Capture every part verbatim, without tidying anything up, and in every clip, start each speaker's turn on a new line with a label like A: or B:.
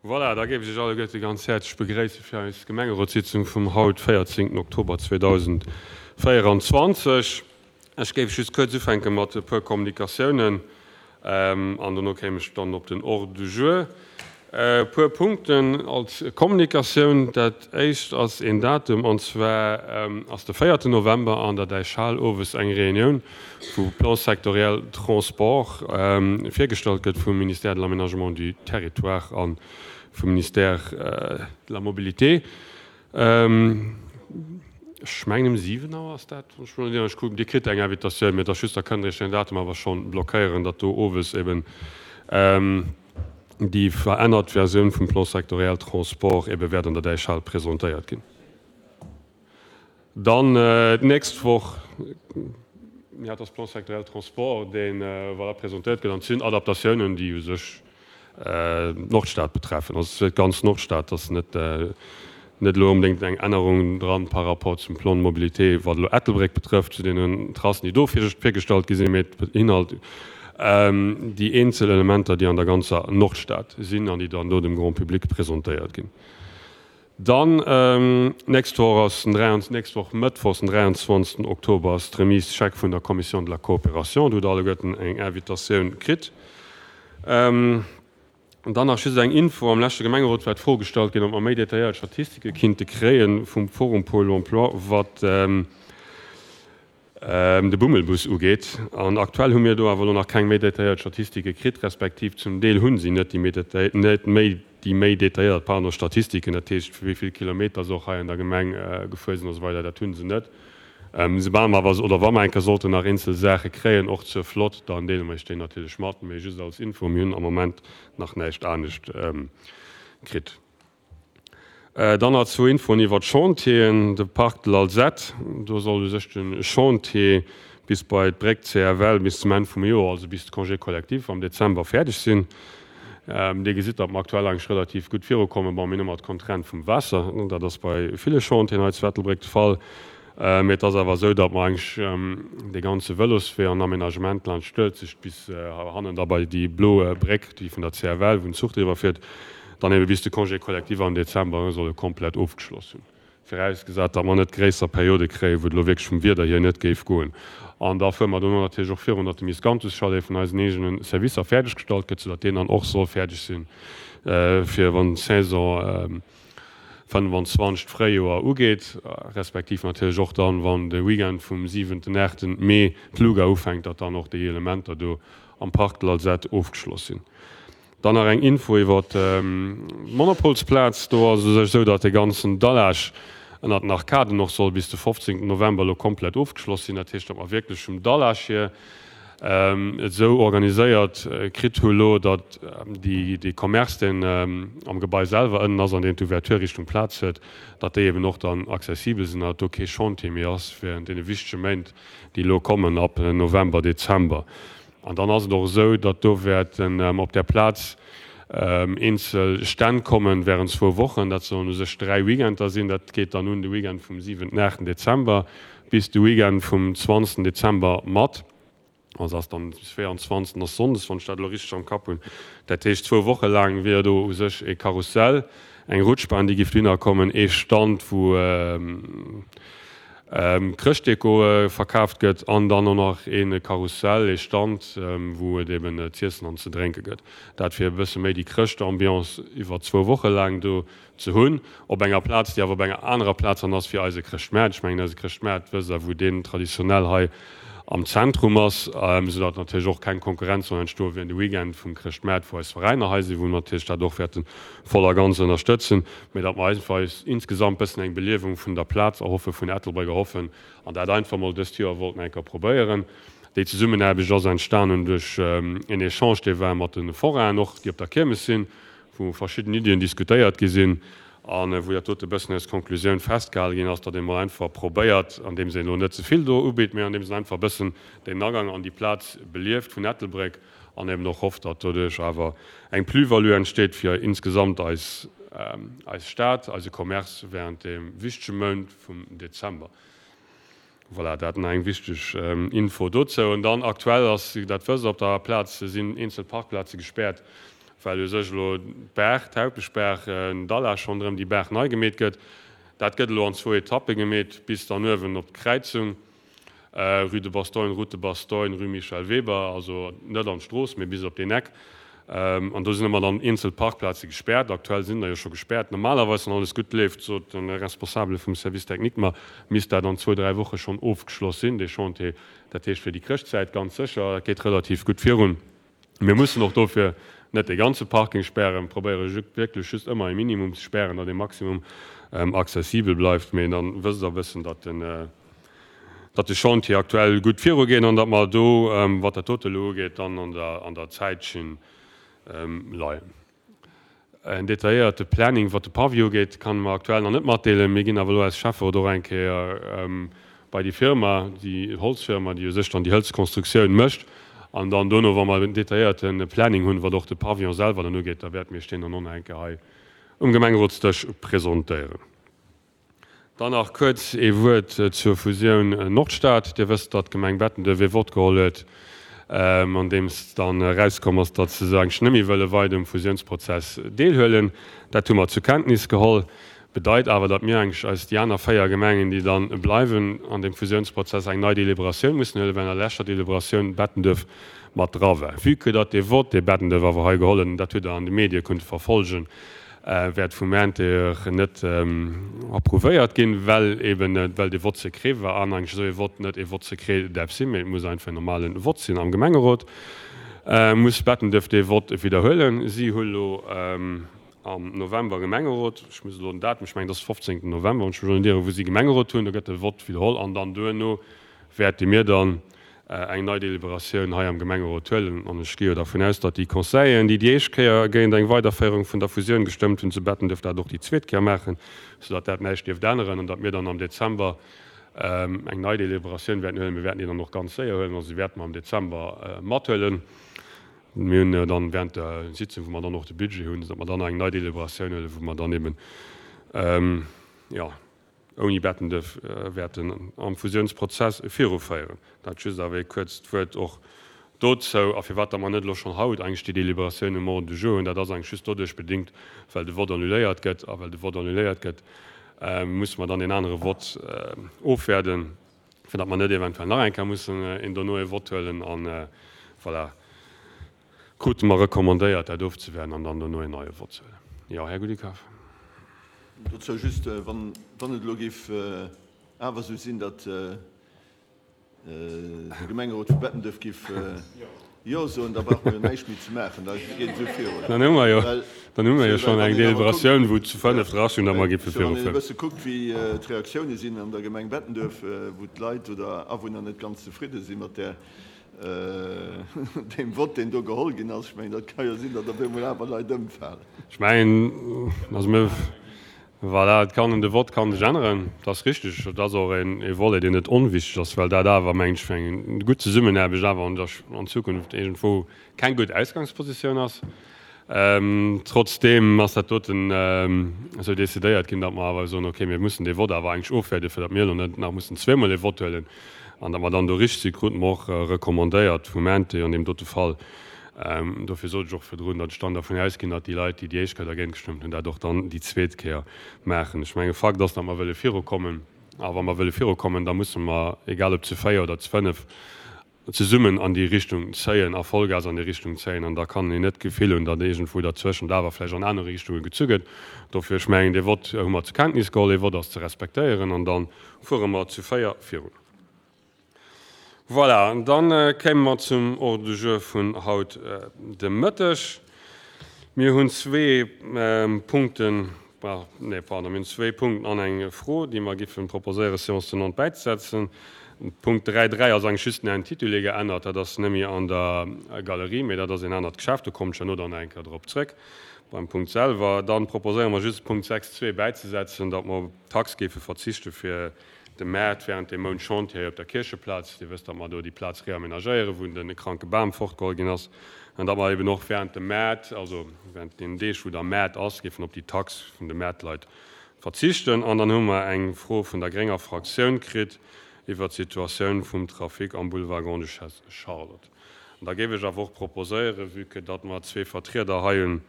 A: Voilà, da géif ech Iech alleguerte ganz häerzlech begréisse fir eis Gemengerotssitzung vum haut, véierzéngten Oktober zweedausendvéieranzwanzeg. Ech géif just kuerz ufänke mat e puer Kommunikatiounen an dono kéim ech dann op den Ordre du jour. E puer Punkten als Kommunikatioun. Dat éischt ass een Datum, an zwar ass de véierten November an der Däichhal owes eng Reunioun, wou Plan sectoriel Transport virgestallt gëtt vum Ministère de l'Aménagement du Territoire a vum Ministère de la Mobilité. Ech mengen ëm siwen Auer ass dat, wann ech mech net ieren. Ech kucken, Dir kritt eng Invitatioun, mee et ass just, da kënnt Der Iech den Datum awer schonn blockéieren, datt do owes eben déi verännert Versioun vum Plan sectoriel Transport ebe wäert an der Däichhal presentéiert ginn. Dann d'nächst Woch, jo, dat ass Plan sectoriel Transport, dee voilà presentéiert gëtt, an et sinn Adaptatiounen, déi u sech d'Nordstad betreffen. Also et ass d'ganz Nordstad, et ass net net elo onbedéngt eng Ännerung dran par rapport zum Plan de mobilité, wat elo Ettelbréck betrëfft, zu deenen Tracen, déi do virgestallt gi sinn, mee et beinhalt déi eenzel Elementer, déi an der ganzer Nordstad sinn an déi dann do dem Grand public presentéiert ginn. Dann d'nächst Woch ass den nächst Woch Mëttwochs, den dräianzwanzegsten Oktober, ass d'Remise chèque vun der Commission de la Coopération. Do hutt Der alleguerten eng Invitatioun kritt. An dann nach just eng Info, Am leschte Gemengerot war d'Fro gestallt ginn, ob mer méi detailléiert Statistike kinnte kréie vum Forum Pôle Emploi, wat de Bummelbus ugeet. An aktuell hu mir do awer elo nach keng méi detailléiert Statistike kritt, respektiv zum Deel hu si net déi net méi déi méi detailléiert, pardon, Statistiken, dat heescht wéi vill Kilometer se och hei an der Gemeng gefuer sinn a sou weider, dat hu se net. Soubal mer awer, oder wa mer eng Kéier sollten nach eenzel Saache kréien, och zur Flott, dann deele mer Iech déi natierlech mat. Mee just als Info, mir hunn am Moment nach näischt anescht kritt. Dann nach zwou Infoen iwwer d'Chantieren. De Parc de l'Alzette, do soll u sech de Chantier bis bei d'Bréck C F L bis zum Enn vum Joer, also bis de Congé collectif am Dezember, fäerdeg sinn. Dir gesitt, datt mer aktuell eigentlech relativ gutt virukommen. Bon, mir hunn ëmmer d'Contrainte vum Waasser, dat ass bei ville Chantieren hei zu Ettelbréck de Fall. Mee et ass awer esou, datt mer eigentlech dee ganze Vëloswee an Aménagement laanscht d'Uelzecht bis hannen da bei déi blo Bréck, déi vun der C F L, wou den Zuch driwwer fiert, dann ebe bis de Congé collectif am Dezember solle komplett ofgeschloss hunn. Virausgesat, datt mer net gréisser Periode kréien, wou et elo wierklech vum Wieder hier net géif goen. An da fuere mer dono natierlech och virun, datt de Miscanthus-Chalet vun eisen eegene Servicer fäerdeggestallt gëtt, soudatt deen dann och soll fäerdeg sinn, fir wann d'Saison fënnefanzwanzeg d'Fréijoer ugeet, respektiv natierlech och dann, wann de Weekend vum siwenten, aachten Mee d'Luga ufänkt, datt dann och déi Elementer do am Parc de l'Alzette ofgeschloss sinn. Dann nach eng Info iwwer d'Monopolsplaz. Do ass et u sech esou, datt de ganzen Dallage ënnert den Arkaden och soll bis de fofzéngten November elo komplett ofgeschloss sinn. Dat heescht, datt mer wierklech vum Dallage hier et esou organiséiert kritt hu lo, datt déi dee Commerce, deen am Gebai selwer ënnen ass an deen d'Ouverture Richtung Plaz huet, datt déi eben och dann accessibel sinn an datt do kee Chantier méi ass während deene wichtege Méint, déi elo kommen ab November, Dezember. An dann ass et och esou, datt do wäerten op där Plaz eenzel Stänn kommen während zwou Wochen. Dat sollen u sech dräi Weekender sinn. Dat geet dann un de Weekend vum siwenten, aachten Dezember bis de Weekend vum zwanzegsten Dezember mat. Also ass dann bis véieranzwanzegsten ass Sonndes, wann ech dat elo richteg am Kapp hunn. Dat heescht, zwou Woche laang wier do u sech e Karussell, eng Rutschbahn, déi giff dohinner kommen, ee Stand, wou Chrëschtdeko verkaaft gëtt an dann och nach ee Karussell, ee Stand, wou et eben z'iessen an ze drénke gëtt. Dat fir e bësse méi déi Chrëschtambiance iwwer zwou Woche laang do ze hunn, op enger Plaz, déi awer op enger anerer Plaz dann ass wéi eise Chrëschtmaart. Ech mengen, eise Chrëschtmaart, wësst Der, wou deen traditionell hei am Zentrum ass, soudatt natierlech och keng Konkurrenz soll entstoen während de Weekend vum Chrëschtmaart, wou eis Veräiner hei sinn, wou mer natierlech dat och wäerte voll a ganz ënnerstëtzen, mä datt mer einfach eis insgesamt bëssen eng Beliewung vun der Plaz erhoffen, vun Ettelbréck erhoffen an dat einfach mol dëst Joer wollten eng Kéier probéieren. Déi Zesummenaarbecht ass entstanen duerch en Echange, dee war mat de Forainen och, déi op der Kiermes sinn, wou verschidden Iddien diskutéiert gi sinn a wou dat dote bëssen als Konklusioun festgehale ginn ass, datt ee mol einfach probéiert, andeems een elo net ze vill do ubitt, mee andeems een einfach e bëssen den Agang an déi Plaz belieft vun Ettelbréck an eben och hofft, datt doduerch awer eng Plus-value entsteet fir insgesamt eis eis Stad, eise Commerce während deem wichtege Mount vum Dezember. Voilà, dat nach eng wichteg Info dozou. An dann aktuell ass, dat wësst Der, op der Plaz sinn eenzel Parkplaze gespäert well u sech elo d'Baach, d'Haupeschbaach, d'Alage ronderëm déi Baach nei gemeet gëtt. Dat gëtt elo an zwou Etappe gemeet, bis dann uewen op d'Kräizung Rue de Bastogne, Route de Bastogne, Rue Michel Weber, also net an d'Strooss, mee bis op deen Eck. An do sinn ëmmer dann eenzel Parkplaze gespäert. Aktuell sinn der jo scho gespäert. Normalerweis, wann alles gutt leeft, sot de Responsabele vum Service technique mer, misst dat an zwou, dräi Woche schonn ofgeschloss sinn, dee Chantier. Dat heescht fir déi Chrëschtzäit ganz sécher. Dat geet relativ gutt virun. Mir mussen och dofir net dee ganze Parking spären, probéiere wierklech just ëmmer e Minimum ze spären, datt e Maximum accessibel bleift. Mee dann wësst Der e bëssen, datt den, datt de Chantier aktuell gutt virugeet an datt mer do, wat dat dote elo ugeet, dann an der, an der Zäitschinn leien. En detailléierte Planning, wat de Pavillon ugeet, kann mer aktuell nach net matdeelen. Mir ginn awer elo als Schäfferot och eng Kéier bei déi Firma, déi Holzfirma, déi u sech dann déi Hëlzkonstruktioun mécht. An dann dono, wa mer en detailléierte Planning hunn, wat och de Pavillon selwer dann ugeet, da wäerte mir iech deen dann och nach eng Kéier hei um Gemengerotsdësch presentéieren. Dann nach kuerz ee Wuert zur Fusioun Nordstad. Dir wësst, datt d'Gemeng Bettenduerf ee Vott geholl huet, andeems dann erauskomm ass, datt se eigentlech net méi wëlle weider um Fusiounsprozess deelhuelen. Dat hu mer zur Kenntnis geholl. Bedeit awer, datt mir eigentlech eis, déi aner véier Gemengen, déi dann bleiwen an deem Fusiounsprozess, eng nei Deliberatioun mussen huelen, well an der leschter Deliberatioun Bettenduerf mat dra war. Vue que datt dee Vott, dee Bettenduerf awer hei geholl huet, an dat hutt Der an de Medie kunnte verfolgen, wäert vum Intérieur net approuvéiert ginn, well eben, well dee Vote secret war an eigentlech esou ee Vote net ee Vote secret däerf sinn, mee et muss einfach en normale Vote sinn am Gemengerot, muss Bettenduerf dee Vote widderhuelen. Si hu lo am November Gemengerot, ech muss elo den Datum, ech mengen et ass de fofzéngten November, wann ech mech elo net ieren, wou si Gemengerot hunn, do gëtt de Vote widderholl an dann duerno wäerte mir dann eng nei Deliberatioun hei am Gemengerot huelen. An ech gi jo dervun aus, datt déi Conseilleren, déi déi éischt Kéier géint eng Weiderféierung vun der Fusioun gestëmmt hunn zu Bettenduerf, dat och déi zweet Kéier maachen, soudatt dat näischt dierft änneren an datt mir dann am Dezember eng nei Deliberatioun wäerten huelen. Mir wäerten déi dann och ganz séier huelen, also déi wäerte mer am Dezember mathuelen. Mir hunn dann während der Sitzung, wou mer dann och de Budget hunn, datt mer dann eng nei Deliberatioun huelen, wou mer dann eben, jo, ouni Bettenduerf wäerten am Fusiounsprozess viruféieren. Dat just awer ee kuerzt Wuert och dozou. A firwat datt mer net elo schonn haut eigentlech déi Deliberatioun um Ordre du jour hunn, dat ass eigentlech just doduerch bedingt, well de Vott annuléiert gëtt. A well de Vott annuléiert gëtt, musse mer dann een anere Vott ofwäerden, fir datt mer net eventuell nach eng Kéier mussen een dono ee Vott huelen. A voilà, krute mer recommandéiert, dat ofzewäerden an dann dono een neie Vott ze huelen. Jo, Här Goudicaf.
B: Dozou just, wann et elo géif awer esou sinn, datt de Gemengerot vu Bettenduerf géif Jo soen, da brauche mer jo näischt méi ze maachen, da geet et esou virun.
A: Dann hu mer jo, dann hu mer jo schonn eng Deliberatioun, wou zu fënnef drastinn, datt mer géife
B: virufueren. Wann een e bësse kuckt, wéi d'Reaktioune sinn an der Gemeng Bettenduerf, wou d'Leit oder Awunner net ganz zefridde si mat där, deem Vott, deen do geholl ginn ass, ech mengen, dat ka jo sinn, datt op eemol awer Leit ëmfalen.
A: Ech mengen, also mir, voilà, et kann, de Vott ka sech änneren, dat ass richtig. Dat ass och e Volet, deen net onwichtig ass, well dat awer, mengen ech, fir eng gutt Zesummenaarbecht awer an der, an Zukunft iergendwou keng gutt Ausgangspositioun ass. Trotzdeem ass dat doten esou decidéiert ginn, datt mer awer soen, okay, mir mussen dee Vott awer eigentlech ofwäerden, fir datt mir elo net nach mussen zweemol e Vott huelen an datt mer dann do richtig sinn, krute mer och recommandéiert vum Ente an deem dote Fall. Dofir sot ech och virdrun, datt ech dann dervun ausginn, datt déi Leit, déi déi éischt Kéier dergéint gestëmmt hunn, dat och dann déi zweet Kéier maachen. Ech menge Fakt ass, datt mer wëlle virukommen. A wa mer wëlle virukommen, da musse mer, egal ob zu véier oder zu fënnef, zesummen an déi Richtung zéien a Vollgas an déi Richtung zéien. An da kann een net d'Gefill hunn, datt iergendwou derzwëschent awer vläicht an aner Richtunge gezu gëtt. Dofir, ech mengen, dee Vott hu mer zur Kenntnis geholl, dee Vott ass ze respektéieren an da fuere mer zu véier virun. Voilà, dann kéime mer zum Ordre du jour vun haut de Mëtteg. Mir hunn zwee Punkten, nee, pardon, mir hunn zwee Punkten an eng Fro, déi mer géife proposéieren, Séance tenante bäizesetzen. Punkt dräi dräi ass eigentlech just den Intitulé geännert. Dat ass net méi an der Galerie, mee dat ass en anert Geschäft. Do kommen ech herno dann nach eng Kéier drop zrëck beim Punkt selwer. Dann proposéiere mer just Punkt sechs zwee bäizesetzen, datt mer op d'Tax géife verzichte fir de Maart während dem Mount Chantier op der Kiercheplaz. Dir wësst, datt mer do déi Plaz reamenagéieren, wou de kranke Bam fortgeholl ginn ass, an datt mer eben och während dem Maart, also während deenen Deeg, wou da Maart ass, géifen op déi Tax vun de Maartleit verzichten. An dann hu mer eng Fro vun der grénger Fraktioun kritt iwwert d'Situatioun vum Trafic am Boulevard Grande-Duchesse Charlotte. An da géif ech awer och proposéieren, vue que datt mer zwee Vertrieder hei hunn,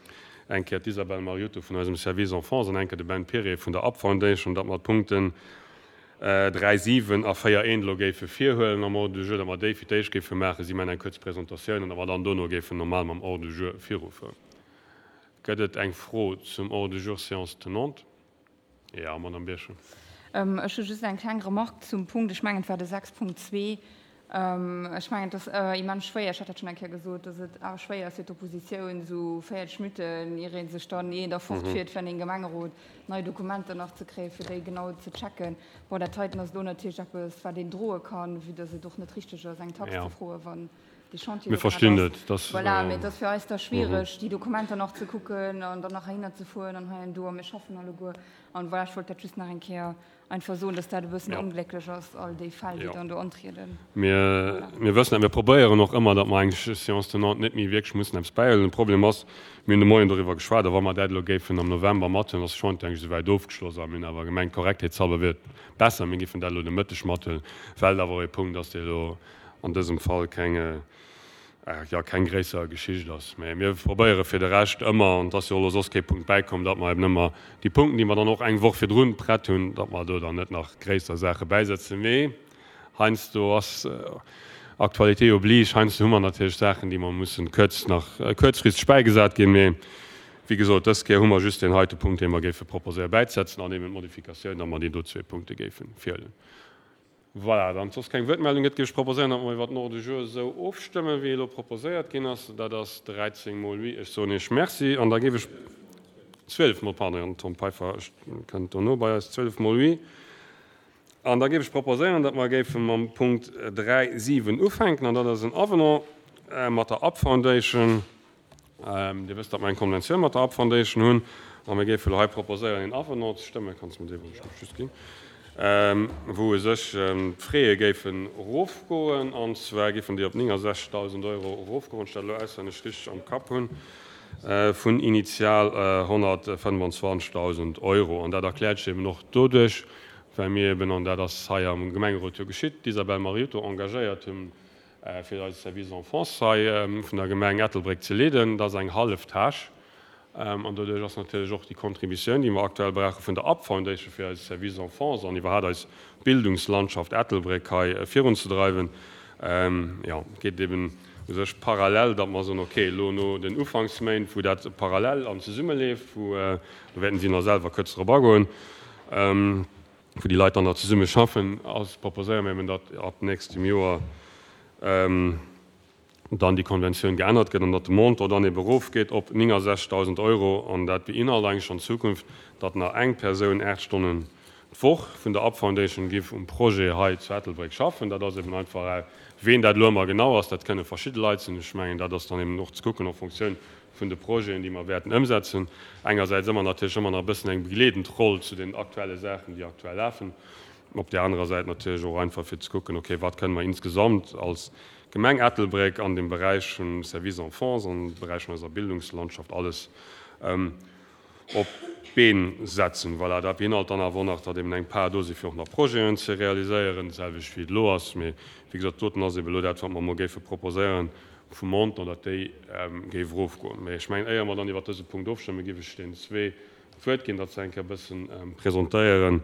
A: eng Kéier d'Isabelle Mariotto vun eisem Service Enfance an eng Kéier de Ben Piré vun der Up Foundation, datt mer d'Punkten dräi, siwen a véier eent elo géife virhuelen am Ordre du jour, datt mer déi fir d'éischt géife maachen. Si maachen eng kuerz Presentatioun an datt mer dann dono géifen normal mam Ordre du jour virufueren. Gëtt et eng Fro zum Ordre du jour séance tenante? Jo, Madame Birchen.
C: Ech hu just eng kleng Remarque zum Punkt, ech mengen et war de sechs Punkt zwee. Ech mengen et ass immens schwéier, ech hat dat schonn eng Kéier gesot, datt et awer schwéier ass fir d'Oppositioun, esou véierzeg Minutten, ier ee sech dann, ier een da fortfiert, fir an een Gemengerot nei Dokumenter nach ze kréien, fir déi genau ze checken. Bon, dat heiten ass elo natierlech eppes, wat een droe kann, vue datt et och net richteg ass, eng Tax ze froen, wann dee Chantier
A: Mir
C: do grad
A: verstinn
C: ass.
A: et, dass.
C: Voilà, mee et ass fir eis da schwiereg, déi Dokumenter nach ze kucken an dann nach heihinner ze fueren an hei an do, a mir schaffen alleguer. An voilà, ech wollt dat just nach eng Kéier einfach soen, dass dat e bëssen onglécklech ass, all déi Fäll, déi dann do antrieden.
A: Mir, mir wëssen dat. Mir probéieren och ëmmer, datt mer eng Séance tenante net méi wierklech mussen eppes bäihuelen. De Problem ass, mir hunn de Moien doriwwer geschwat, a wa mer dat elo géifen am November mathuelen, ass de Chantier eigentlech esouwäit ofgeschloss a mir hunn awer gemengt, korrektheetshalber wier et besser, mir géifen dat elo de Mëtteg mathuelen, well et awer och ee Punkt ass, dee elo an dësem Fall keng, jo, keng gréisser Geschicht ass. Mä mir probéiere fir de Rescht ëmmer, an et ass jo och elo soss kee Punkt bäikomm, datt mer eben ëmmer déi Punkten, déi mer dann och eng Woch virdrun prett hunn, datt mer do dann net nach gréisser Saache bäisetzen. Mee heiansdo ass Actualité oblige, heiansdo hu mer natierlech Saachen, déi mer mussen kuerz nach kuerzfristeg bäigesat ginn. Mee wéi gesot, dës Kéier hu mer just deen heite Punkt, dee mer géife proposéiere bäizesetzen, an eben d'Modifikatioun, datt mer déi do zwee Punkte géife virhuelen. Voilà, wann et soss keng Wuertmeldung gëtt, géif ech proposéieren, datt mer iwwert den Ordre du jour esou ofstëmmen, wéi e elo proposéiert ginn ass. Dat ass dräizéng mol oui. Ech soen Iech Merci an da géif ech, zwielef mol, pardon, den Tom Peiffer kënnt dono bei eis, zwielef mol oui. An da géif ech proposéieren, datt mer géife mam Punkt dräi siwen ufänken, an dat ass en Avenant mat der Up Foundation. Dir wësst, datt mer eng Konventioun mat der Up Foundation hunn, a mir géife elo hei proposéieren, een Avenant ze stëmmen. Kanns de mer dee wuel just ginn? Wou u sech d'Fraie géifen erofgoen, an zwar géifen déi op néngensechzegdausend Euro erofgoen, wann ech dat elo auswenneg richteg am Kapp hunn, vun initial honnertfënnwanzwanzegdausend Euro. An dat erkläert sech eben och doduerch, well mir eben, an dat ass hei am Gemengerot jo geschitt, d'Isabelle Mariotto engagéiert hunn, fir eise Service Enfance hei vun der Gemeng Ettelbréck ze leeden. Dat ass eng hallef Tâche. An doduerch ass natierlech och déi Contributioun, déi mer aktuell brauche vun der Up Foundation fir eise Service Enfance an iwwerhaapt eis Bildungslandschaft Ettelbréck hei virunzedreiwen, jo, geet eben u sech parallel, datt mer soen, okay, elo no den Ufanksméint, wou dat parallel an zesummeleeft, wou, do wäerten si nach selwer kuerz drop agoen, wou déi Leit dann nach zesumme schaffen, ass, proposéiere mir eben, datt ab nächstem Joer dann déi Konventioun geännert gëtt an datt de Montant dann ebe erofgeet op néngensechzegdausend Euro an dat beinhalt eigentlech an Zukunft, datt nach eng Persoun aacht Stonnen d'Woch vun der Up Foundation giff um Projet hei zu Ettelbréck schaffen. Dat ass eben einfach, ween dat elo ëmmer genau ass, dat kënne verschidde Leit sinn. Ech mengen, dat ass dann eben och ze kucken en Fonctioun vun de Projeten, déi mer wäerten ëmsetzen. Engersäits ëmmer natierlech ëmmer nach e bëssen eng begleedend Roll zu den aktuelle Saachen, déi aktuell lafen. Op där anerer Säit natierlech och einfach fir ze kucken, okay, wat kënne mer insgesamt als Gemeng Ettelbréck an dem Beräich vum Service Enfance, am Beräich vun eiser Bildungslandschaft alles op d'Been setzen. Voilà, dat beinhalt dann awer och nach, datt eben eng Part do si fir och nach Projeten ze realiséieren, d'selwecht wéi et elo ass. Mee wéi gesot, doten ass eben elo dat, wat mer emol géife proposéieren vum Montant, datt déi géif erofgoen. Mee ech mengen, éier mer dann iwwert dëse Punkt ofstëmmen, géif ech deenen zwee d'Wuert ginn, datt se eng Kéier e bëssen presentéieren,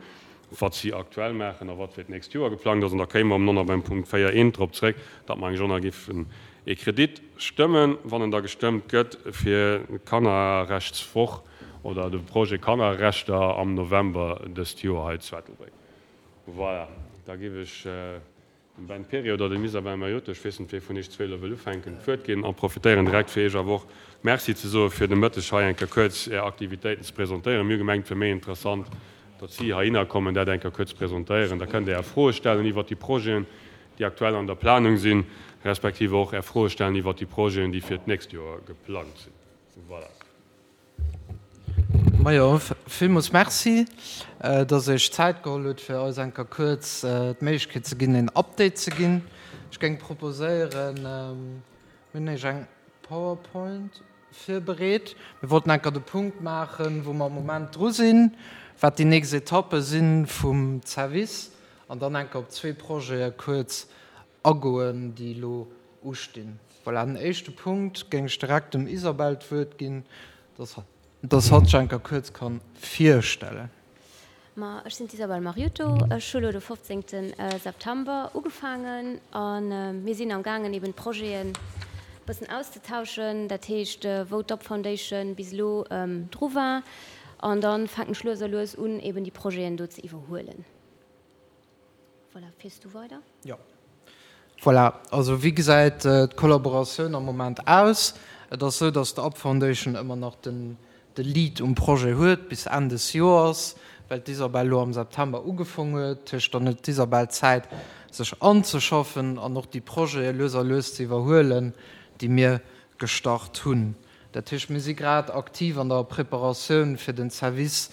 A: wat si aktuell maachen a wat fir d'nächst Joer geplangt ass. An da kéime mer och nach beim Punkt véier eent drop zréck, datt mer eng Journée géifen ee Kredit stëmmen, wann en da gestëmmt gëtt, fir d'Kannerrechtswoch oder de Projet Kannerrechter am November dëst Joer hei zu Ettelbréck. Voilà, da géif ech dem Ben Pirri oder dem Isabelle Mariotto, ech weess net, wee vun iech zwee elo wëll ufänken, d'Wuert ginn a profitéieren direkt, fir iech awer och Merci ze soe fir de Mëtteg hei eng Kéier kuerz Är Aktivitéiten ze presentéieren. Mir hu gemengt, et wier méi interessant, datt si heihinner kommen, dat eng Kéier kuerz presentéieren. Da kënnt Dir Är Froe stellen iwwert déi Projeten, déi aktuell an der Planung sinn, respektiv och Är Froe stellen iwwert déi Projeten, déi fir d'nächst Joer geplangt sinn. Voilà.
D: Majo, villmools Merci, dass Dir Iech Zäit geholl hutt, fir eis eng Kéier kuerz d'Méiglechkeet ze ginn, een Update ze ginn. Ech géing proposéieren, mir hunn Iech eng PowerPoint virbereet. Mir wollten eng Kéier de Punkt maachen, wou mer am Moment dru sinn, wat déi nächst Etappe si vum Service an dann eng Kéier op zwee Projete kuerz agoen, déi elo ustinn. Voilà, den éischte Punkt géing ech direkt dem Isabelle d'Wuert ginn, dass dass hatt sech eng Kéier kuerz kann virstellen.
E: Ma ech sinn d'Isabelle Mariutto, ech hu lo de fofzéngte September ugefaangen a mir sinn am gaangen eben d'Projeten e bëssen auszetauschen, dat heescht wou d'Up Foundation bis elo dru war an da fänken ech lues a lues un eben déi Projeten do ze iwwerhuelen. Voilà, fiers du weider?
D: Jo. Voilà, also wéi gesäit d'Kollaboratioun am Moment aus? Et ass esou, datt d'Up Foundation ëmmer nach den de Lead um Projet huet bis Enn des Joers, well d'Isabelle elo am September ugefong huet. Dat heescht, dann huet d'Isabelle Zäit, sech anzeschaffen an och déi Projete lues a lues ze iwwerhuelen, déi mir gestart hunn. Dat heescht, mir si grad aktiv an der Preparatioun, fir den Service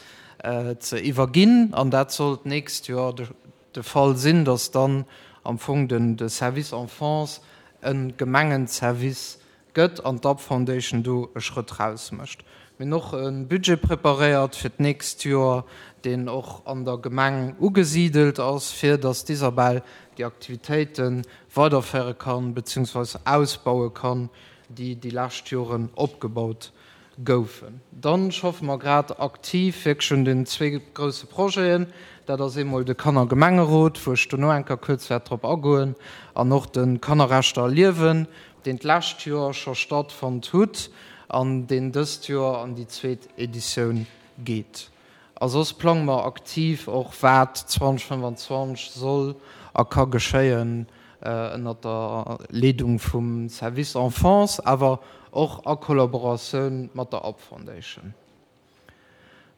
D: ze iwwerginn, an dat soll d'nächst Joer de Fall sinn, dass dann am Fong de Service Enfance e Gemengenservice gëtt an d'Up Foundation do e Schrëtt raus mécht. Mir hunn och e Budget preparéiert fir d'nächst Joer, deen och an der Gemeng ugesidelt ass, fir dass d'Isabelle déi Aktivitéite weiderféiere kann, beziehungsweise ausbaue kann, déi déi lescht Joren opgebaut goufen. Dann schaffe mer grad aktiv wierklech un den zwee grousse Projeten. Dat ass eemol de Kannergemengerot, wou ech dono eng Kéier kuerz wäert drop agoen, an och de Kannerrechter erliewen, deen d'lescht Joer scho stattfonnt hutt an deen dëst Joer an déi zweet Editioun geet. A soss plange mer aktiv och, wat zweedausendfënnefanzwanzeg soll a ka geschéien ënnert der Leedung vum Service Enfance, awer och a Kollaboratioun mat der Up Foundation.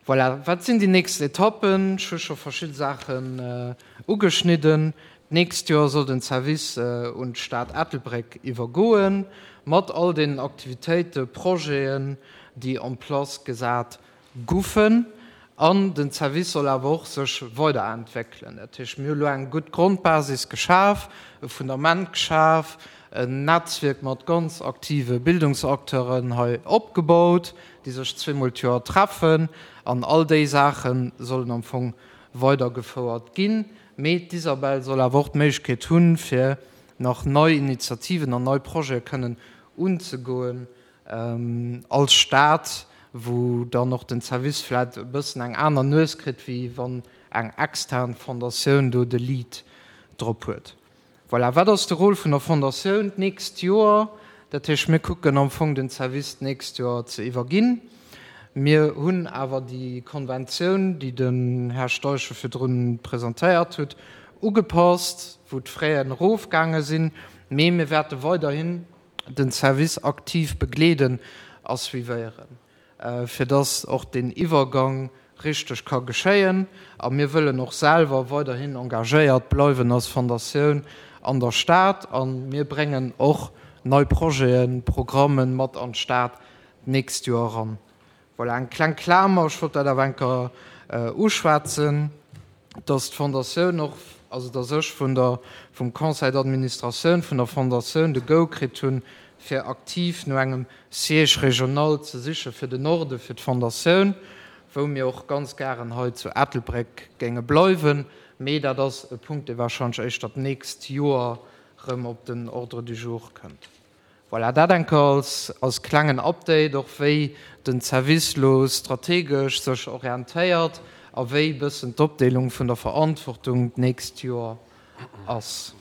D: Voilà, wat sinn déi nächst Etappen? Ech hu scho verschidde Saachen ugeschnidden. D'nächst Joer soll den Service un d'Stad Ettelbréck iwwergoen, mat all deenen Aktivitéiten, Projeten, déi en place gesat goufen. An den Service soll awer och sech weiderentwéckelen. Dat heescht, mir hu lo eng gutt Grondbasis geschaf, e Fundament geschaf, en Netzwierk mat ganz aktive Bildungsacteuren hei opgebaut, déi sech zweemol d'Joer treffen. An all déi Saache sollen am Fong weidergefouert ginn. Mee d'Isabelle soll awer och d'Méiglechkeet hunn, fir nach nei Initiativen an nei Projete kënnen unzegoen als Stad, wou dann och den Service vläicht e bëssen eng aner Nues kritt, wéi wann eng extern Fondatioun do de Lead drop huet. Voilà, wat ass de Rôle vun der Fondatioun d'nächst Joer? Dat heescht, mir kucken am Fong den Service d'nächst Joer ze iwwerginn. Mir hunn awer déi Konventioun, déi den Här Steichen virdrun presentéiert huet, ugepasst, wou d'Fraisen erofgaange sinn. Mee mir wäerte weiderhin den Service aktiv begleeden a suivéieren, fir dass och deen Iwwergang richteg ka geschéien. A mir wëllen och selwer weiderhin engagéiert bleiwen als Fondatioun an der Stad. A mir bréngen och nei Projeten, Programmen mat an d'Stad d'nächst Joer eran. Voilà, eng kleng Klamer, ech wollt dat awer eng Kéier uschwätzen, dass d'Fondatioun och, also dass ech vun der, vum Conseil d'administratioun vun der Fondatioun de Go kritt hunn, fir aktiv no engem Siège régional ze siche fir den Norde fir d'Fondatioun, wou mir och ganz gären hei zu Ettelbréck géinge bleiwen. Mee dat ass e Punkt, dee wahrscheinlech éischter d'nächst Joer erëm op den Ordre du jour kënnt. Voilà, dat eng Kéier als, als klengen Update, och wéi den Service lo strategesch sech orientéiert a wéi bëssen d'Opdeelung vun der Verantwortung d'nächst Joer ass.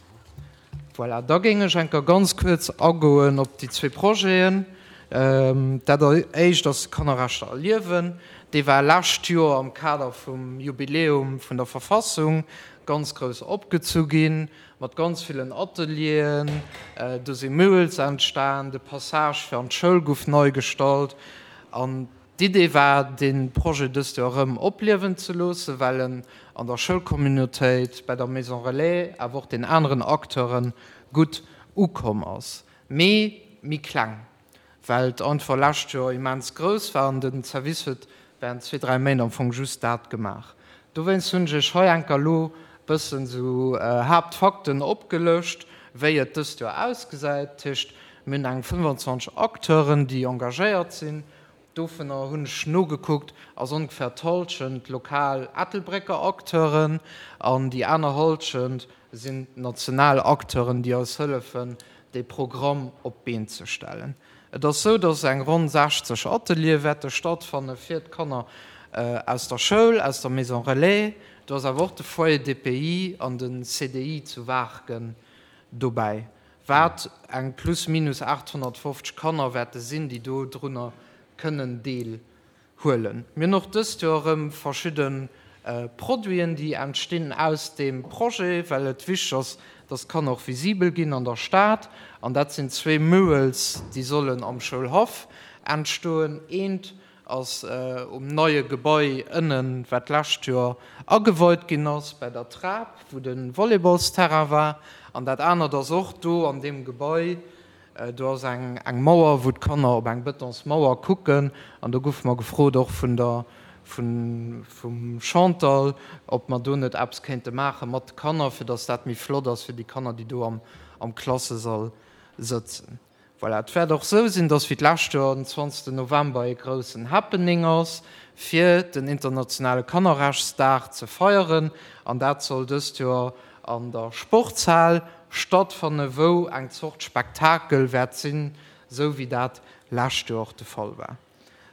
D: Voilà, da géing ech eng Kéier ganz kuerz agoen op déi zwee Projeten. Dat éischt ass Kannerrechter erliewen. Dee war lescht Joer am Kader vum Jubiläum vun der Verfassung ganz grouss opgezu ginn, mat ganz villen Atelieren. Do si Murals entstan, de Passage fir an d'Schoul gouf nei gestallt. An d'Idee war, dee Projet dëst Joer erëm opliewen ze loossen, well en an der Schoulcommunautéit, bei der Maison Relais, awer och den aneren Acteure gutt ukomm ass. Mee méi kleng, well et einfach lescht Joer immens grouss war an den Service huet während zwee, dräi Méint am Fong just dat gemaach. Dowéinst hunn ech iech hei enker elo bëssen esou Haaptfakten opgelëscht, wéi et dëst Joer ausgesäit. Dat heescht, mir hunn eng fënnefanzwanzeg Acteuren, déi engagéiert sinn. Dovunner hunn ech nogekuckt, ass ongefähr d'Hallschent lokal Ettelbrécker Acteuren an déi aner Hallschent sinn national Acteuren, déi eis hëllefen, dee Programm op d'Been ze stellen. Et ass sou, dass eng ronn sechzeg Ateliere wäerte stattfanne fir d'Kanner aus der Schoul, aus der Maison Relais. Do ass awer och de Foyer D P I an de C D I zu Waarken dobäi, wat eng plus minus aathonnertfofzeg Kanner wäerte sinn, déi do drunner kënnen Deel huelen. Mir hunn och dëst Joer erëm verschidde Produiten, déi entstinn aus deem Projet, well et wichteg ass, dass d'Kanner och visibel ginn an der Stad. An dat sinn zwee Murals, déi sollen am Schoulhaff entstoen. Eent ass um neie Gebai ënnen, wat d'lescht Joer ageweit ginn ass, bäi der Trap, wou de Volleyballsterrain war. An dat anert ass och do an deem Gebai. Do ass eng eng Mauer, wou d'Kanner op eng Betonsmauer kucken. An do goufe mer gefrot, och vun der vun vum Chantal, ob mer do net eppes kéinte maache mat de Kanner, fir datt dat méi flott ass fir déi Kanner, déi do am am Klassesall sëtzen. Voilà, et wäert och sou sinn, datt wéi d'lescht Joer den zwanzegsten November ee groussen Happening ass, fir den internationale Kannerrechtsdag ze feieren. An dat soll dëst Joer an der Sportshal stattfanne, wou eng Zort Spektakel wäert sinn, sou wéi dat lescht Joer och de Fall war.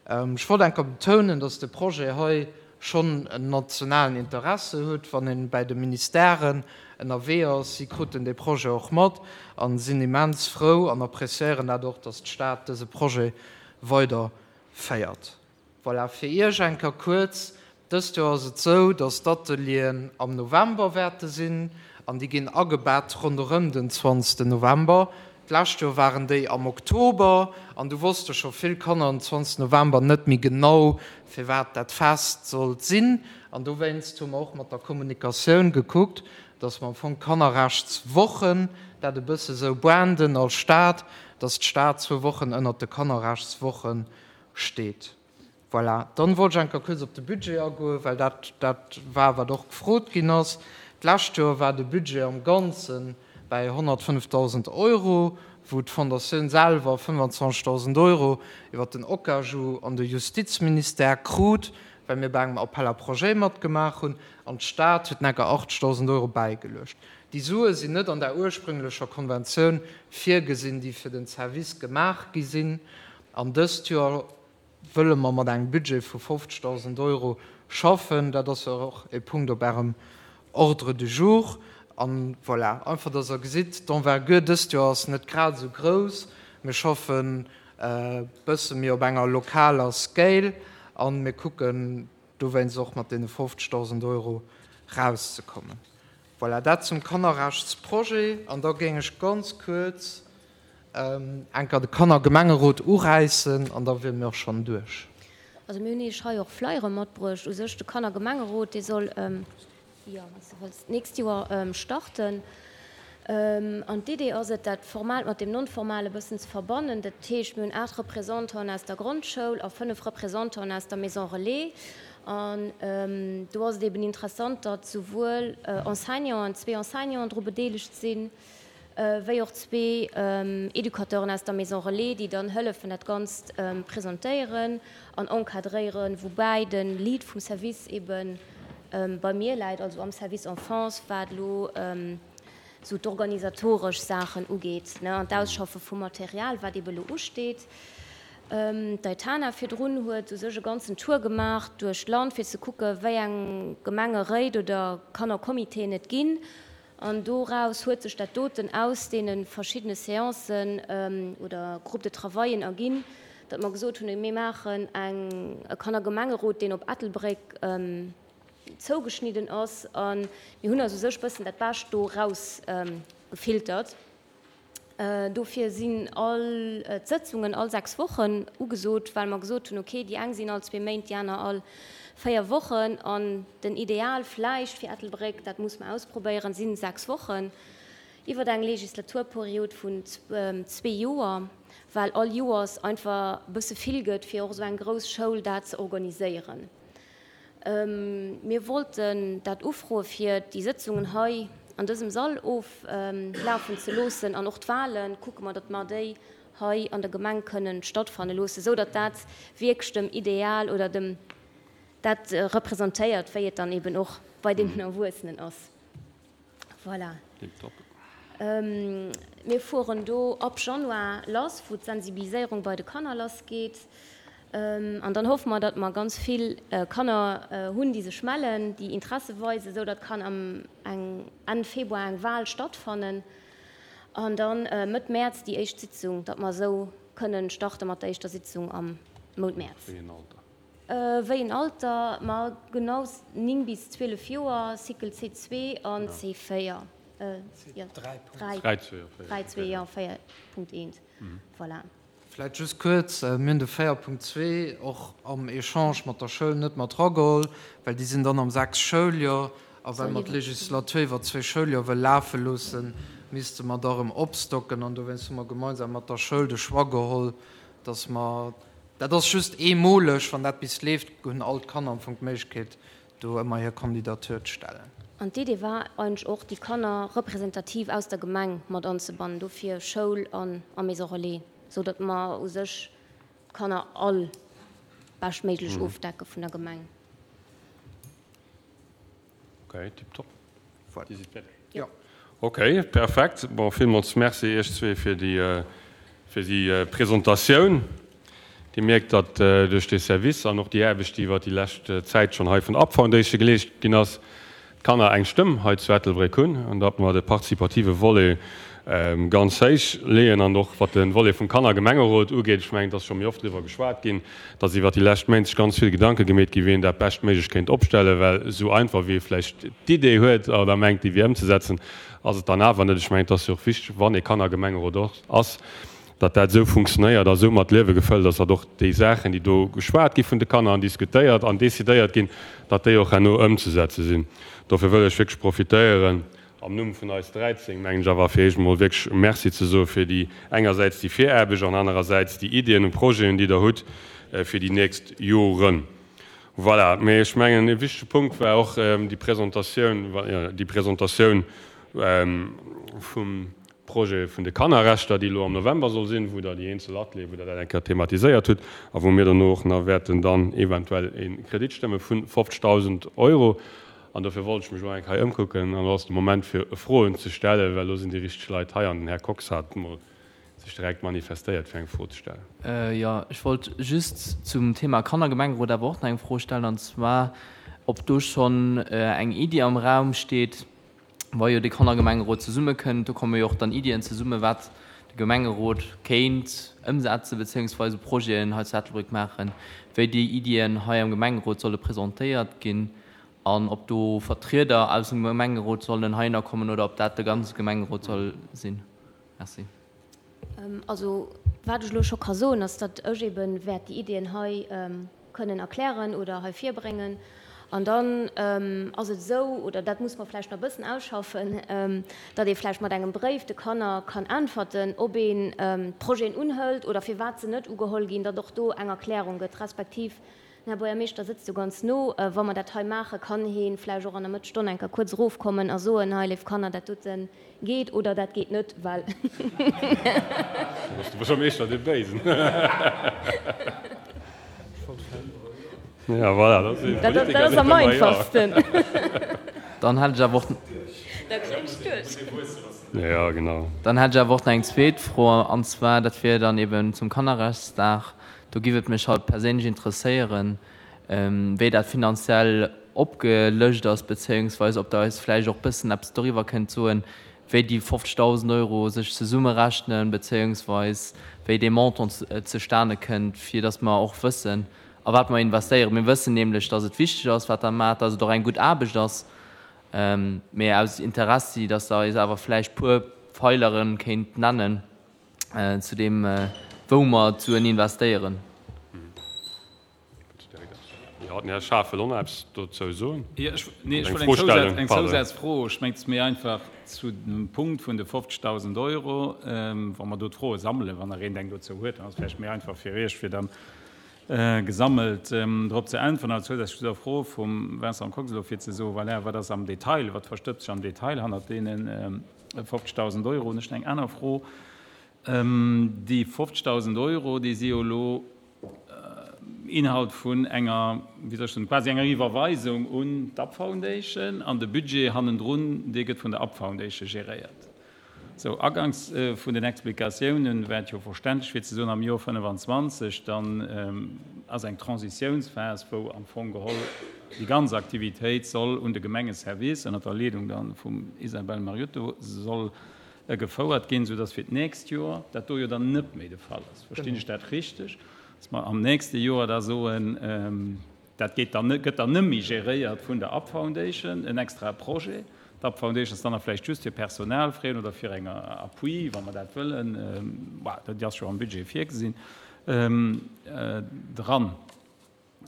D: Ech wollt enker betounen, datt de Projet hei schonn en nationalen Interesse huet, wann ee bäi de Ministèren ënnerwee ass. Si kruten dee Projet och mat a sinn immens frou an appréciéieren dat och, datt d'Stad dëse Projet weider féiert. Voilà, fir Iech enker kuerz, Dëst Joer ass et sou, datt d'Atelieren am November wäerte sinn an déi ginn agebett ronderëm den zwanzegsten November. D'lescht Joer waren déi am Oktober an du wosste scho vill Kanner den zwanzegsten November net méi genau, firwat dat Fest sollt sinn. An dowéinst hu mer och mat der Kommunikatioun gekuckt, datt mer am Fong d'Kannerrechtswochen dat e bësse sou branden als Stad, datt d'Stad zwou Wochen ënnert de Kannerrechtswoche steet. Voilà. Dann wollt ech eng Kéier kuerz op de Budget agoen, well dat dat war, wat och gefrot ginn ass. D'lescht Joer war de Budget am Ganze bäi honnertfënnefdausend Euro, wou d'Fondatioun selwer fënnefanzwanzegdausend Euro iwwer den OCAJU an de Justizministère krut, well mir bei engem Appel à projets matgemaach hunn, an d'Stad huet enker achtzegdausend Euro bäigeluecht. Déi Sue sinn net an der ursprünglecher Konventioun virgesinn, déi fir den Service gemaach gi sinn. An dëst Joer wëlle mer mat engem Budget vu fofzegdausend Euro schaffen. Dat ass jo och e Punkt op Ärem Ordre du jour. An voilà, einfach dass Der gesitt, d'Envergure dëst Joer ass net grad esou grouss. Mir schaffen e bësse méi op enger lokaler Scale a mir kucken dowéinst och mat deene fofzegdausend Euro rauszekommen. Voilà, dat zum Kannerrechtsprojet. An da géing ech ganz kuerz enker de Kannergemengerot uräissen an da wiere mir och schonn duerch.
E: Also mir hunn Iech hei och Flyere matbruecht. U sech de Kannergemengerot, dee soll, jo, wann s de wëlls, d'nächst Joer starten. An d'Idee ass et, dat Formaalt mat deem Non-Formale e bëssen ze verbannen. Dat heescht, mir hunn aacht Représentanten aus der Grondschoul a fënnef Représentanten aus der Maison Relais. An do ass et eben interessant, datt souwuel Enseignanten, zwee Enseignanten dru bedeelegt sinn, wéi och zwee Educateuren aus der Maison Relais, déi dann hëllefen dat Ganzt presentéieren an encadréieren, woubäi de Lead vum Service ebe bei mir läit, also am Service Enfance, wat elo esou d'organisatoresch Saachen ugeet, ne, an d'Ausschaffe vum Material, wat ebe elo usteet. D'Aitana virdrun huet u sech e ganzen Tour gemaach duerch d'Land, fir ze kucke wéi eng Gemengeréit oder Kannercomitéen et ginn. An doraus huet sech dat doten aus deene verschiddene Seancen oder Groupes de travaillen erginn, datt mer gesot hunn, mir maachen eng e Kannergemengerot, deen op Ettelbréck zougeschnidden ass. A mir hunn eis u sech bëssen dat Bescht do rausgefiltert. Dofir sinn all d'Sëtzungen all sechs Wochen ugesot, well mer gesot hunn, okay, déi eng sinn all zwee Méint, déi aner all véier Wochen. An den Ideal vläicht fir Ettelbréck, dat muss mer ausprobéieren, si sechs Wochen iwwer eng Legislaturperiod vun zwee Joer, well all Joers einfach e bësse vill gëtt, fir och esou eng grouss Schoul dat ze organiséieren. Mir wollten dat ufroe fir déi Sëtzungen hei an dësem Sall oflafen ze loossen an och d'Wahlen kucke mer, datt mer déi hei an der Gemeng kënnen stattfanne loossen, esou datt dat wierklech dem Ideal oder dem dat representéiert, wéi et dann eben och bei deenen Erwuessenen ass. Voilà.
A: Tiptop.
E: Mir fueren do ab Januar lass, wou d'Sensibiliséierung bei de Kanner lassgeet. An dann hoffe mer, datt mer ganz vill Kanner hunn, déi sech mellen, déi Interesse weisen, esou datt kann am Enn Februar eng Wahl stattfannen an dann Mëtt Mäerz déi éischt Sitzung, datt mer esou kënnen starte mat der éischter Sitzung am Mount Mäerz.
A: Wéi een Alter?
E: Wéi een Alter? Ma genau néng bis zwielef Joer, Cycle C zwee an C véier. Jo, dräi, dräi, zwee, jo, véier Punkt eent. Voilà.
D: Vläicht just kuerz, Mir hunn de véier Punkt zwee och am Echange mat der Schoul net mat erageholl, well déi sinn dann am sechs Schouljoer. A well mer d'Legislatur iwwer zwee Schouljoer wëll lafe loossen, misste mer da erëm opstocken. An dowéinst hu mer gemeinsam mat der Schoul de Choix geholl, dass mer, dat ass just eemoleg, wann dat bis leeft, hunn all d'Kanner am Fong d'Méiglechkeet, do ëmmer hir Kandidatur ze stellen.
E: An d'Idee war eigentlech och, déi Kanner representativ aus der Gemeng mat anzebannen, dofir Schoul an a Maison relais, sou datt mer u sech d'Kanner all beschtméiglech ofdecke vun der Gemeng.
A: Ok, tiptop.
D: Voilà.
A: Dir sidd fäerdeg?
D: Jo.
A: Ok, perfekt. Bon, villmools Merci Iech zwee fir déi, fir déi Presentatioun. Dir mierkt, datt duerch dee Service an och déi Aarbecht, déi iwwert déi lescht Zäit schonn hei vun der up Foundation geleescht ginn ass, d'Kanner eng Stëmm hei zu Ettelbréck hunn an datt mer de partizipative Volet ganz héich leeën an och wat de Volet vum Kannergemengerot ugeet, ech mengen, et ass scho méi oft driwwer geschwat ginn, datt iwwert déi lescht Méint sech ganz vill Gedanke gemeet gi wéi een dat beschtméiglech kéint opstellen, well esou einfach wéi ee vläicht d'Idee huet oder mengt déi wier ëmzesetzen, ass et dann awer net. Ech mengen, et ass jo och wichteg, wann ee Kannergemengerot ass, datt dat esou funktionéiert a sou mat Liewe gefëllt ass, datt och déi Saachen, déi do geschwat gi vun de Kanner an diskutéiert an decidéiert ginn, datt déi och herno ëmzesetze sinn. Dofir wëll ech wierklech profitéieren, am Numm vun eis dräizéng, mengen ech, awer fir Iech emol wierklech Merci ze soe fir déi engersäits déi Viraarbecht an anerersäits déi Iddien und Projeten, déi Der hutt fir déi nächst Joren. Voilà. Mee ech mengen, e wichtege Punkt war och déi Presentatioun, déi Presentatioun vum Projet vun de Kannerrechter, déi elo am November soll sinn, wou Der déi eenzel Atelieren, wou Der dat eng Kéier thematiséiert hutt a wou mir dono och nach wäerten dann eventuell e Kredit stëmme vu fofzegdausend Euro. An dofir wollt ech mech elo eng Kéier hei ëmkucken an elo ass de Moment fir Froen ze stellen, well elo sinn déi richteg Leit hei an den Här Kox hat emol sech direkt manifestéiert fir eng Fro ze stellen.
F: Jo, ech wollt just zum Thema Kannergemengerot awer och nach eng Fro stellen, an zwar ob do schonn eng Iddi am Raum steet, wa jo de Kannergemengerot zesummekënnt, do komme jo och dann Iddien zesumme wat de Gemengerot kéint ëmsetzen, beziéungsweise Projeten hei zu Ettelbréck maachen, wéi déi Iddien hei am Gemengerot solle presentéiert ginn an ob do Vertrieder aus dem Gemengerot sollen heihinner kommen oder ob dat de ganze Gemengerot soll sinn. Merci.
E: Also wat ech elo scho ka soen, ass, datt ech ebe wäert déi Iddien hei kënnen erklären oder hei virbréngen. An dann ass et esou, oder dat muss mer vläicht nach e bëssen ausschaffen, datt ee vläicht mat engem Bréif de Kanner kann äntwerten, ob een d'Projeten unhëlt oder firwat se net ugeholl ginn, datt och do eng Erklärung gëtt, respektiv den Här Buergermeeschter sëtzt jo ganz no, wa mer dat hei maachen, kann hee vläicht och an der Mëttesstonn eng Kéier kuerz erofkommen a soen, hei léif Kanner, dat dote geet oder dat geet net, well.
A: Do ass de Buergermeeschter dee Béisen. Ja, voilà, dat ass
C: Dat, dat ass am einfachsten.
F: Dann hätt ech awer och.
C: Da kréien ech duerch.
A: Ja, genau.
F: Dann hätt ech awer och nach eng zweet Fro, an zwar, dat wier dann eben zum Kannerrechtsdag. Do giff et mech halt perséinlech interesséieren, wéi dat finanziell opgelëscht ass, bezéiungsweis ob Der eis vläicht och bëssen eppes doriwwer kënnt soen, wéi déi fofzegdausend Euro sech zesummerechnen, bezéiungsweis wéi dee Montant zustane kënnt, fir datt mer och wëssen, a wat mer investéieren. Mir wëssen nämlech, datt et wichteg ass, wat Der maacht, datt et och eng gutt Aarbecht ass, mee aus Interessi, datt Der eis awer vläicht puer Pfeilere kéint nennen zu deem, wou mer d'Suen investéieren.
A: Jo, den Här Schaaf wëll och nach eppes dozou soen.
G: Jo, ech, nee, ech wollt eng Zousaz, eng Zousazfro. Ech mengen, et ass méi einfach zu dem Punkt vun de fofzegdausend Euro, wa mer do d'Froe sammelen, wann nach een eng dozou huet, dann ass et vläicht méi einfach fir Iech, fir dann gesammelt drop ze äntweren. Awer zousätzlech zu der Fro vum Vincent Kox elo, fir ze soen, voilà, wat ass am Detail, wat verstëbst sech am Detail hannert deene fofzegdausend Euro? Hunn ech nach eng aner Fro. Déi fofzegdausend Euro, déi si jo elo Inhalt vun enger, wéi soll ech soen, quasi enger Iwwerweisung un d'UP Foundation, an de Budget hannendrun, dee gëtt vun der UP Foundation geréiert. Sou, aganks vun den Explikatiounen war et jo verständlech fir ze soen, am Joer fënnefenzwanzeg dann ass eng Transitiounsphas, wou am Fong geholl déi ganz Aktivitéit soll un de Gemengeservice ënnert der Leedung dann vum Isabelle Mariotto soll gefouert ginn, soudass fir d'nächst Joer dat do jo dann net méi de Fall ass. Verstinn ech dat richteg, dass mer am nächste Joer da soen, Dat geet dann, gëtt dann nëmme geréiert vun der Up Foundation, en extrae Projet. D'Up Foundation ass dann nach vläicht just fir Personalfraien oder fir eng Appui, wa mer dat wëllen, bah, dat ass jo am Budget virgesinn, dran.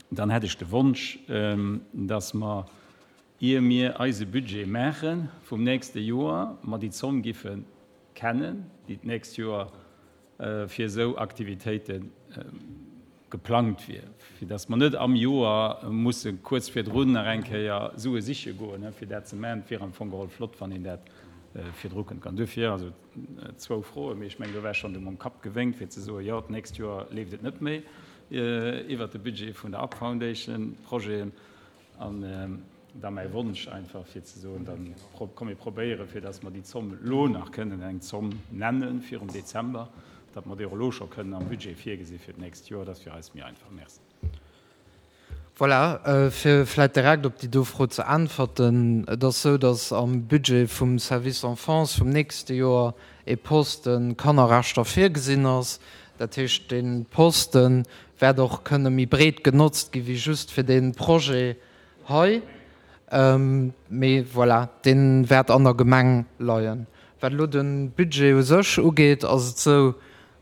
G: Dann hätt ech de Wonsch, dass mer, ier mir eise Budget maache vum nächste Joer, mer déi Zomm giffe kennen, déi d'nächst Joer fir esou Aktivitéite geplangt wier, fir datt mer net am Joer musse kuerz virdrun nach eng Kéier Sue siche goen, fir dat ze maachen. Et wier am Fong geholl flott, wann een dat virdru kënnt. An duerfir also zwou Froen, mee ech mengen, do war schonn de mam Kapp gewénkt, fir ze soen, jo, d'nächst Joer leeft et net méi iwwert de Budget vun der Up Foundation, d'Projeten. An da mäi Wonsch einfach, fir ze soen, da komm mir probéieren, fir datt mer déi Zomm elo nach kënnen eng Zomm nenne virum Dezember, datt mer déi och elo scho kënnen am Budget virgesi fir d'nächst Joer. Dat ass fir eis méi einfach. Merci.
D: Voilà, fir vläicht direkt op déi do Fro ze äntwerten, Et ass esou, datt am Budget vum Service Enfance vum nächste Joer ee Poste Kannerrechter virgesinn ass. Dat heescht, dee Poste wäert och kënne méi breet genotzt gi wéi just fir dee Projet hei. Mee voilà, dee wäert an der Gemeng leien. Wat elo de Budget u sech ugeet, ass et esou,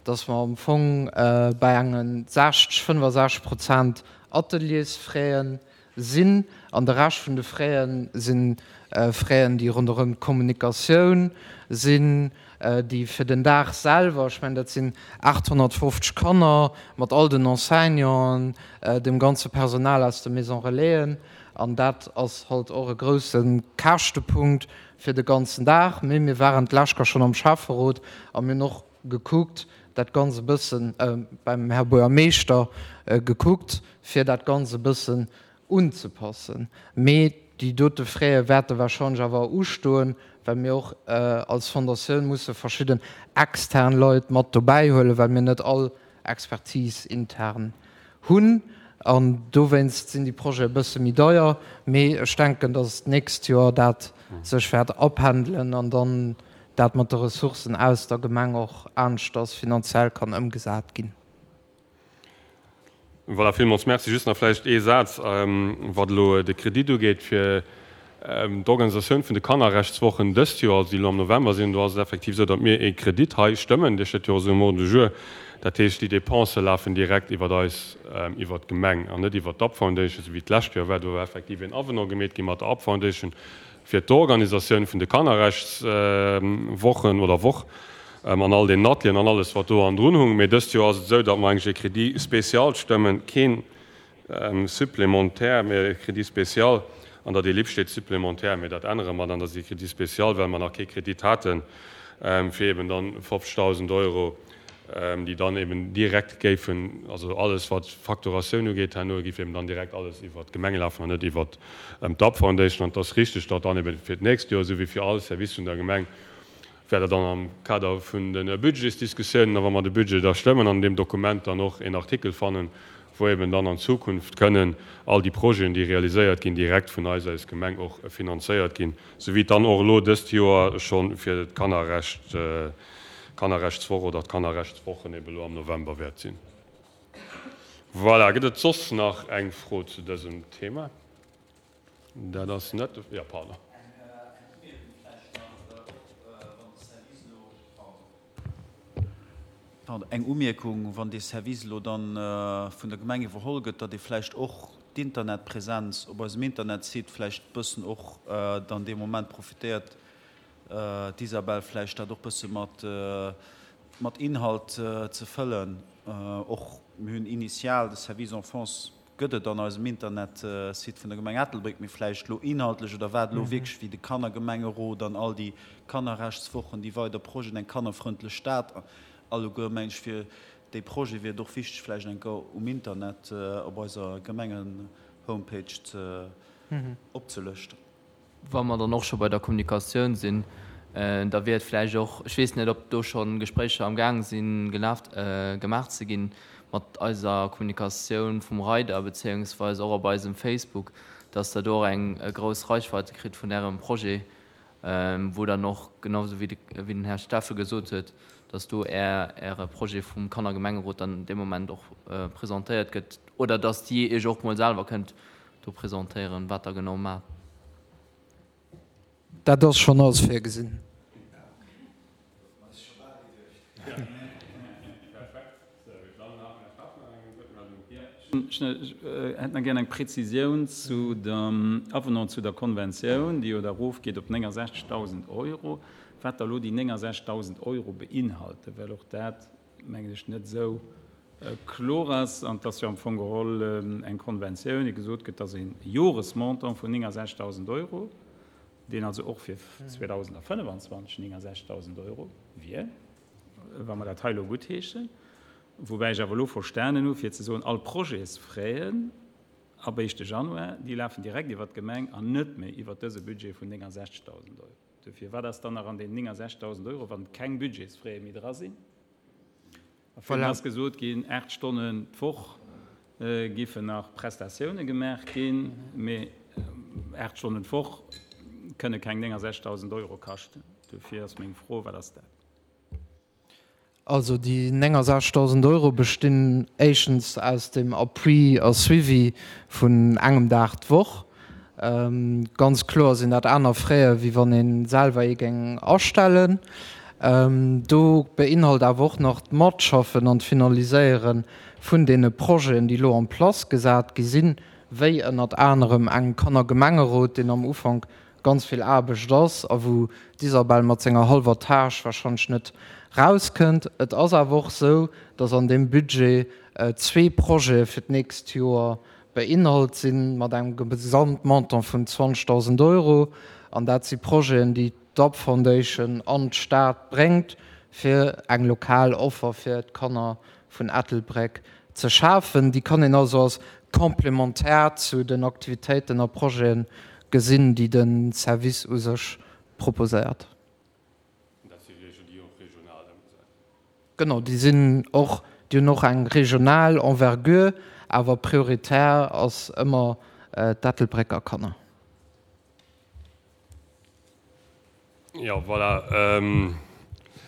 D: datt mer am Fong bei enge sechzeg, fënnefasechzeg Prozent Ateliersfraie sinn an de Rescht vun de Fraie si Fraien, déi ronderëm d'Kommunikatioun sinn, déi fir den Dag selwer, ech mengen dat sinn aathonnertfofzeg Kanner mat all den Enseignanten, dem ganze Personal aus de Maison Relaisen, an dat ass halt och e grousse Käschtepunkt fir de ganzen Dag. Mee mir waren d'lescht Joer schonn am Schäfferot a mir hunn och gekuckt, dat Ganzt e bëssen, beim Här Buergermeeschter gekuckt, fir dat Ganzt e bëssen unzepassen. Mee déi dote Fräe wäerte warscheinlech awer ustoen, well mir och als Fondatioun musse verschidden extern Leit mat dobäi huelen, well mir net all Expertise intern hunn. An dowéinst sinn déi Projete e bësse méi deier. Mee ech denken, datt d'nächst Joer dat sech wäert apendelen an dann dat mat de Ressourcen aus der Gemeng och aneschters finanziell kann ëmgesat ginn.
A: Voilà, villmools Merci. Just nach vläicht ee Saz, wat elo de Kredit ugeet fir d'Organisatioun vun de Kannerrechtswochen dëst Joer, also déi elo am November sinn. Do ass et effektiv esou, datt mir ee Kredit hei stëmmen, dee steet jo och esou um Ordre du jour. Dat heescht, déi Dépensë lafen direkt iwwer eis, iwwer d'Gemeng an net iwwer d'Up Foundation, esou wéi et d'lescht Joer war. Do war effektiv een Avenant gemeet gi mat der Up Foundation fir d'Organisatioun vun de Kannerrechtswochen oder Woch an all deenen Atelieren an alles, wat do andrun hung. Mee dëst Joer ass et esou, datt mer eigentlech e Crédit spécial stëmmen, keen supplémentaire, mee e Crédit spécial. An der Delib steet supplémentaire, mee dat ännere mer dann, dat ass e Crédit spécial, well mer nach kee Kredit haten, fir eben dann fofzegdausend Euro, déi dann eben direkt géifen, also alles wat d'Facturatioun ugeet herno, géif eben dann direkt alles iwwert d'Gemeng lafen an net iwwert d'Up Foundation. An et ass richtig, datt dann eben fir d'nächst Joer, esou wéi fir all Service vun der Gemeng, wäert Der dann am Kader vun de Budgetsdiskussiounen a wa mer de Budget da stëmmen, an deem Dokument dann och een Artikel fannen, wou eben dann an Zukunft kënnen all déi Projeten, déi realiséiert ginn, direkt vun eis als Gemeng och finanzéiert ginn, esou wéi et dann och elo dëst Joer scho fir d'Kannerrecht, d'Kannerrechtswoch oder d'Kannerrechtswochen eben elo am November wäert sinn. Voilà, gëtt et soss nach eng Fro zu dësem Thema? Dat ass net de, jo, pardon.
H: Pardon, eng Umierkung, Wann dee Service elo dann vun der Gemeng iwwerholl gëtt, datt ee vläicht och d'Internetpräsenz op eisem Internetsite vläicht e bëssen och dann dee Moment profitéiert, d'Isabel, vläicht dat och bësse mat mat Inhalt ze fëllen. Och mir hunn initial de Service Enfance gëtt et an eisem Internetsite vun der Gemeng Ettelbréck, mee vläicht elo inhaltlech oder wat elo wierklech wéi de Kannergemengerot an all déi Kannerrechtswochen, déi weider Projeten, eng kannerfrëndlech Stad, alleguer meng ech fir déi Projete wier et och wichteg vläicht eng Kéier um Internet op eiser Gemengen-Homepage ze opzelëschten.
F: Wa mer dann och scho bei der Kommunikatioun sinn, Da wier et vläicht och, ech weess net, ob do scho Gespréicher am Gaang sinn, gelaf, gemaach ze ginn mat eiser Kommunikatioun vum Reider bezéiungsweis och op eisem Facebook, dass Der do och eng grouss Reichweite kritt vun Ärem Projet, wou dann och, genau esou wéi den Här Steffen gesot huet, dass do Äre Projet vum Kannergemengerot dann dee Moment och presentéiert gëtt oder dass Dir Iech och mol selwer kënnt do presentéieren, wat Der genau maacht.
D: Dat ass schonn alles virgesinn.
G: Ech hätt nach gär eng Präzisioun zu dem Avenant zu der Konventioun, déi jo da erofgeet op néngasechzegdausend Euro, wat da elo déi néngasechzegdausend Euro beinhalten, well och dat, mengen ech, net esou kloer ass. An et ass jo am Fong geholl eng Konventioun, déi gesot gëtt, dass e Joresmontant vun néngasechzegdausend Euro, deen also och fir zweedausendafënnefenzwanzeg néngasechzegdausend Euro wier, wa mer dat hei elo guttheeschen, woubäi ech awer elo verstanen hu fir ze soen, all Projetsfraisen ab éischte Januar, déi lafen direkt iwwert d'Gemeng an net méi iwwert dëse Budget vun néngasechzegdausend Euro. Dofir, wat ass dann nach an deenen néngasechzegdausend Euro, wann keng Budgetsfraise méi dra sinn? A virun ass gesot ginn, aacht Stonnen d'Woch géifen nach Prestatioune gemaach ginn, mee aacht Stonnen d'Woch kënne keng néngasechzegdausend Euro kaschten. Dofir ass meng Fro, Wat ass dat?
D: Also déi néngasechzegdausend Euro bestinn éischtens aus dem Appui a Suivi vun engem Dag d'Woch. Ganz kloer sinn dat aner Frais, wéi wann ee selwer ee géing astellen. Do beinhalt awer och nach d'Matschaffen an d'Finaliséiere vun deene Projeten, déi elo en place gesat gi sinn, wéi ënnert anerem engem Kannergemengerot, deen am Ufank ganz vill Aarbecht ass a wou d'Isabel mat senger hallwer Tâche warscheinlech net rauskënnt. Et ass awer och esou, dass an deem Budget zwee Projete fir d'nächst Joer beinhalt sinn, mat engem Gesamtmontant vun zwanzegdausend Euro. An dat si Projeten, déi d'Up Foundation an d'Stad bréngt, fir eng lokal Offer fir d'Kanner vun Ettelbréck ze schafen. Déi kann een also als complémentaire zu den Aktivitéiten a Projete gesinn, déi de Service u sech proposéiert.
A: Dat si Regeln, déi och regional ëmgesat ginn.
D: Genau, déi sinn och, déi hunn och eng regional Envergure, awer prioritär ass ëmmer d'Ettelbrécker Kanner.
A: Jo, voilà.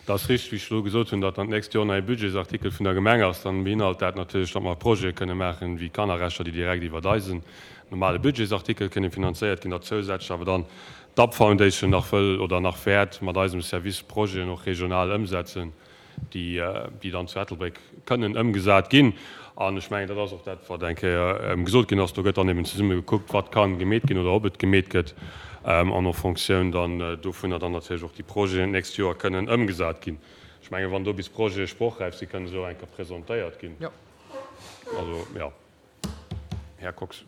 A: Et ass richteg, wéi ech elo gesot hunn, datt dann d'nächst Joer en neie Budgetsartikel vun der Gemeng ass. Dann beinhalt dat natierlech, datt mer Projete kënne maachen, wéi Kannerrechter, déi direkt iwwert eisen normale Budgetsartikel kënne finanzéiert ginn, datt zousätzlech awer dann d'Up Foundation nach wëll oder nach wäert mat eisem Service Projeten och regional ëmsetzen, déi, déi dann zu Ettelbréck kënnen ëmgesat ginn. An ech mengen, dat ass och dat, wat eng Kéier gesot ginn ass. Do gëtt dann eben zesumme gekuckt, wat ka gemeet ginn oder ob et gemeet gëtt, an en Fonctioun dann dovunner dann natierlech och déi Projeten d'nächst Joer kënnen ëmgesat ginn. Ech mengen, wann do bis Projete sprochräif sinn, kënne se och eng Kéier presentéiert ginn. Also, jo. Här Kox.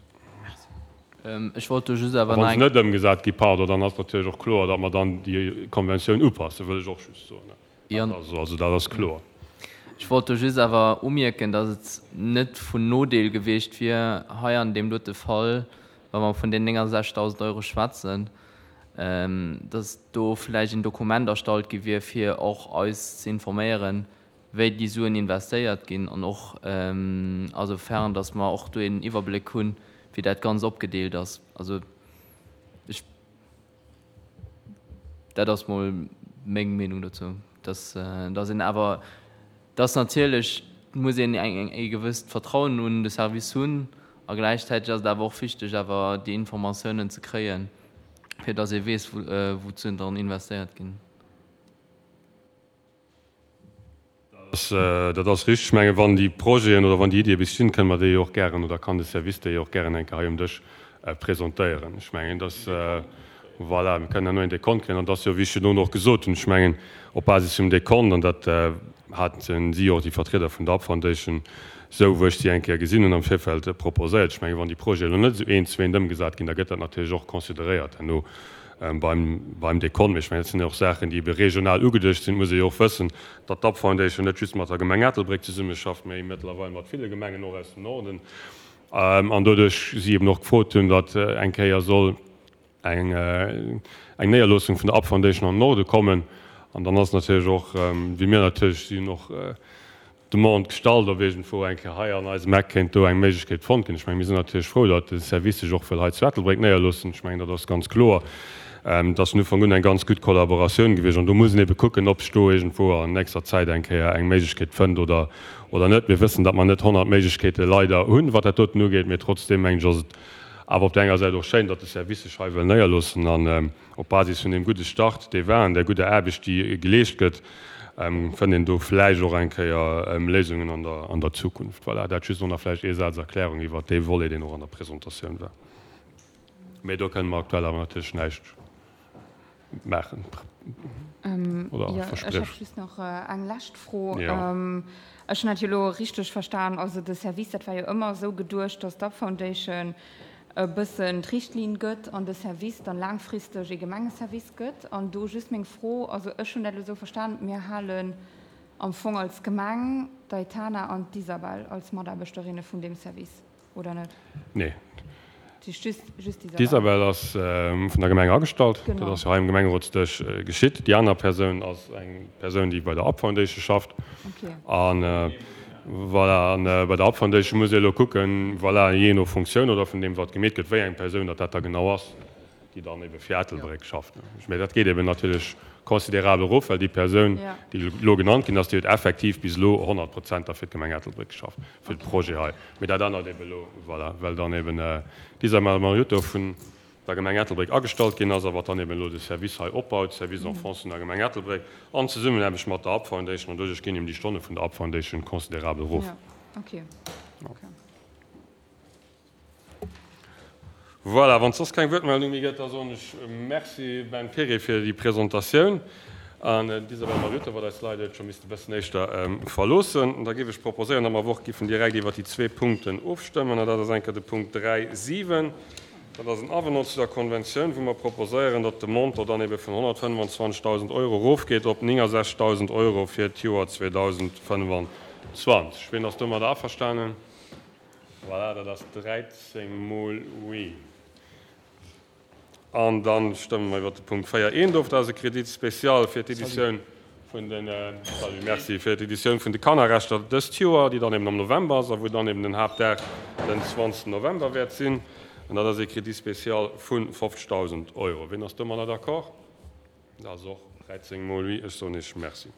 F: Ech wollt do just awer
A: A
F: nach
A: wa se
F: eng.
A: net ëmgesat gi, pardon, dann ass natierlech och kloer, datt mer dann déi Konventioun upassen, wëll ech och just soen. Also dat ass kloer.
F: Ech wollt do just awer umierken, datt et net vun Nodeel gewiescht wier, hei an deem dote Fall, wa mer vun den néngasechzegdausend Euro schwätzen, datt do vläicht en Dokument erstallt gi wier, fir och eis ze informéieren, wéi déi Suen investéiert ginn an och asoufern, datt mer och do een Iwwerbléck hunn, wéi dat Ganzt opgedeelt ass. Also ech. Dat ass mol meng Meenung dozou, dass, dass een awer, dass natierlech muss een eng, e gewësst Vertrauen un de Service hunn a gläichzäiteg ass et awer och wichteg awer déi Informatiounen ze kréien, fir dass ee weess, wou, wou d'Suen dran investéiert ginn.
A: Dat ass richtig. Ech mengen, wann déi Projeten oder wann déi Iddie bis stinn, kënne mer déi jo och gären oder kann de Service déi jo och gären eng Kéier hei um Dësch presentéieren. Ech mengen, dass, voilà, mir kënnen herno een Dekont kréien. An et ass jo, wéi ech virdrun och gesot hunn, ech mengen, op Basis vum Dekont, an dat haten si och, déi Vertrieder vun der up Foundation, esou wou ech si eng Kéier gesinn hunn am Virfeld, proposéiert. Ech mengen, wann déi Projeten elo net esou eent zu eent ëmgesat ginn, da gëtt dat natierlech och consideréiert herno beim, beim Dekont. Mee ech mengen, dat sinn jo och Saachen, déi ebe regional ugeduecht sinn. Et muss ee jo och wëssen, datt d'Up Foundation net just mat der Gemeng Ettelbréck zesummeschafft, mee mëttlerweil mat ville Gemengen och aus dem Norden. An doduerch si eben och gefrot hunn, datt eng Kéier soll eng eng Néierloossung vun der Up Foundation an den Norde kommen. An dann ass natierlech och, wéi mir natierlech sinn, och d'Demande gestallt, ob iergendwou eng Kéier hei an eisem Eck kéint do eng Méiglechkeet fonnt ginn. Ech mengen, mir sinn natierlech frou, datt de Service sech och wëll hei zu Ettelbréck néierloossen. Ech mengen, dat ass ganz kloer. Et ass vun Ufank un eng ganz gutt Kollaboratioun gewiescht an do muss een ebe kucken, ob sech do iergendwou an nächster Zäit eng Kéier eng Méiglechkeet fënnt oder oder net. Mir wëssen, datt mer net honnert Méiglechkeete leider hunn, wat dat doten ugeet, mee trotzdeem mengen ech, ass et awer op där enger Säit och schéin, datt de Service sech hei wëll néierloossen an op Basis vun deem gudde Start, dee war, an där gudder Aarbecht, déi geleescht gëtt, fënnt een do vläicht och eng Kéier Léisungen an der an der Zukunft. Voilà, dat just och nach vläicht ee Saz Erklärung iwwert dee Volet, deen och an der Presentatioun war. Mee do kënne mer aktuell awer natierlech näischt maachen oder
C: Jo, ech
A: verspriechen.
C: hätt just nach eng lescht Fro.
A: Jo.
C: Ech hunn dat jo elo richteg verstan, also de Service, dat war jo ëmmer esou geduecht, datt d'Up Foundation e bëssen d'Richtlinn gëtt an de Service dann laangfristeg ee Gemengeservice gëtt. An do just meng Fro, also ech hunn dat elo esou verstan, mir halen am Fong als Gemeng d'Aitana an d'Isabel als Mataarbechterinne vun deem Service, oder net?
A: Nee.
C: Just
A: D'Isabel ass vun der Gemeng agestallt. Dat ass jo hei um Gemengerotsdësch geschitt. Déi aner Persoun ass eng Persoun, déi bei der Up Foundation schafft. An voilà, an bei der Up Foundation muss ee elo kucken, voilà, jee no Funktioun oder vun deem, wat gemeet gëtt, wéi eng Persoun datt dat da genau ass, déi dann ebe fir Ettelbréck schafft. Mä dat geet eben natierlech considerabel erof, well déi Persoun, déi elo genannt ginn ass, déi huet effektiv bis elo honnert Prozent da fir d'Gemeng Ettelbréck geschafft, fir de Projet hei. Mä dat ännert ebe elo, voilà, well dann eben d'Isabel Mariotto vun der Gemeng Ettelbréck agestallt ginn ass a wat dann eben elo de Service hei opbaut, Service Enfance vun der Gemeng Ettelbréck, an Zesummenaarbecht mat der Up Foundation. An doduerch ginn eben déi Stonne vun der Up Foundation considerabel erof. Voilà, wann et soss keng Wuertmeldung méi gëtt, da soen ech Merci Ben Perry fir déi Presentatioun an d'Isabel Mariotto, wat eis leider huet scho misste bëssen éischter verloossen. Da géif ech proposéieren, datt mer awer och giffen direkt iwwert déi zwee Punkten ofstëmmen, an dat ass eng Kéier de Punkt dräi siwen, dat ass en Avenant zu der Konventioun, wou mer proposéieren, datt de Montant dann ebe vun honnertfënnwanzwanzegdausend Euro erofgeet op néngensechzegdausend Euro fir d'Joer zweedausendfënnwanzwanzeg. Wien ass domadder averstanen? Voilà, dat ass dräizéng mol oui. An da stëmme mer iwwert de Punkt véier eent of. Dat ass e Crédit spécial fir d'Editioun vun den, salut, merci, fir d'Editioun vun de Kannerrechter dëst Joer, déi dann eben am November ass a wou dann eben den Haaptdag den zwanzegsten November wäert sinn. An dat ass e Crédit spécial vu fofzegdausend Euro. Wien ass domadder d'accord? Dat ass och dräizéng mol oui. Ech soen Iech Merci.